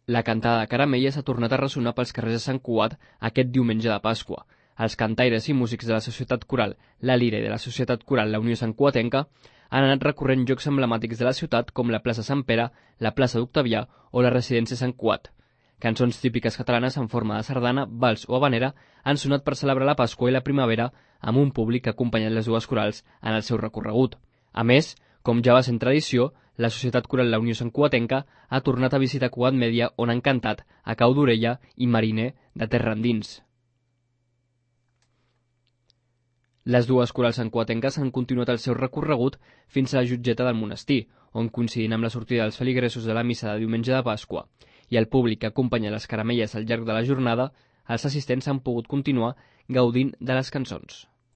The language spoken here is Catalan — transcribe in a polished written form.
La cantada de Caramelles ha tornat a ressonar pels carrers de Sant Cugat aquest diumenge de Pasqua. Els cantaires i músics de la Societat Coral La Lira i de la Societat Coral La Unió Santcugatenca han anat recorrent llocs emblemàtics de la ciutat com la plaça Sant Pere, la plaça d'Octavià o la residència Sant Cugat. Cançons típiques catalanes en forma de sardana, vals o habanera han sonat per celebrar la Pasqua i la primavera amb un públic que ha acompanyat les dues corals en el seu recorregut. A més, com ja va ser en tradició, la Societat Coral La Unió Santcugatenca ha tornat a visitar Cugat Mèdia on han cantat a Cau d'Orella i Mariner de Terra Endins. Les dues corals santcugatenques han continuat el seu recorregut fins a la Jutgeta del Monestir, on coincidint amb la sortida dels feligresos de la missa de diumenge de Pasqua i el públic que acompanya les caramelles al llarg de la jornada, els assistents han pogut continuar gaudint de les cançons.